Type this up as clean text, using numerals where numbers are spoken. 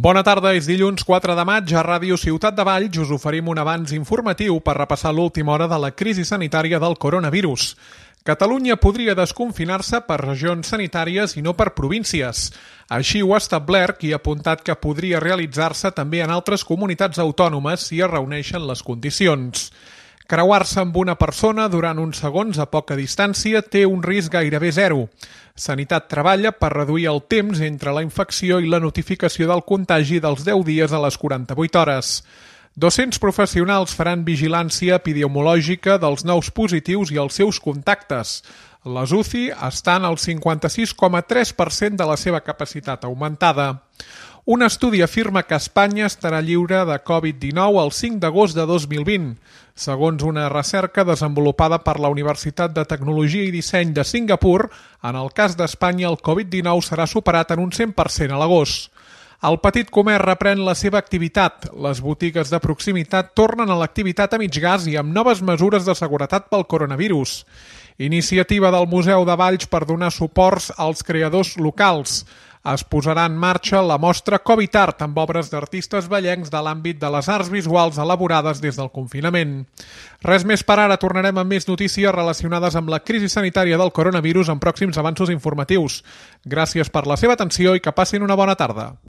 Bona tarda, és dilluns 4 de maig. A Ràdio Ciutat de Valls us oferim un avanç informatiu per repassar l'última hora de la crisi sanitària del coronavirus. Catalunya podria desconfinar-se per regions sanitàries i no per províncies. Així ho ha establert i ha apuntat que podria realitzar-se també en altres comunitats autònomes si es reuneixen les condicions. Creuar-se amb una persona durant uns segons a poca distància té un risc gairebé zero. Sanitat treballa per reduir el temps entre la infecció i la notificació del contagi dels 10 dies a les 48 hores. 200 professionals faran vigilància epidemiològica dels nous positius i els seus contactes. Les UCI estan al 56,3% de la seva capacitat augmentada. Un estudi afirma que Espanya estarà lliure de Covid-19 el 5 d'agost de 2020. Segons una recerca desenvolupada per la Universitat de Tecnologia i Disseny de Singapur, en el cas d'Espanya el Covid-19 serà superat en un 100% a l'agost. El petit comerç reprèn la seva activitat. Les botigues de proximitat tornen a l'activitat a mig gas i amb noves mesures de seguretat pel coronavirus. Iniciativa del Museu de Valls per donar suports als creadors locals. Es posarà en marxa la mostra Covid Art amb obres d'artistes vallencs de l'àmbit de les arts visuals elaborades des del confinament. Res més per ara, tornarem amb més notícies relacionades amb la crisi sanitària del coronavirus en pròxims avanços informatius. Gràcies per la seva atenció i que passin una bona tarda.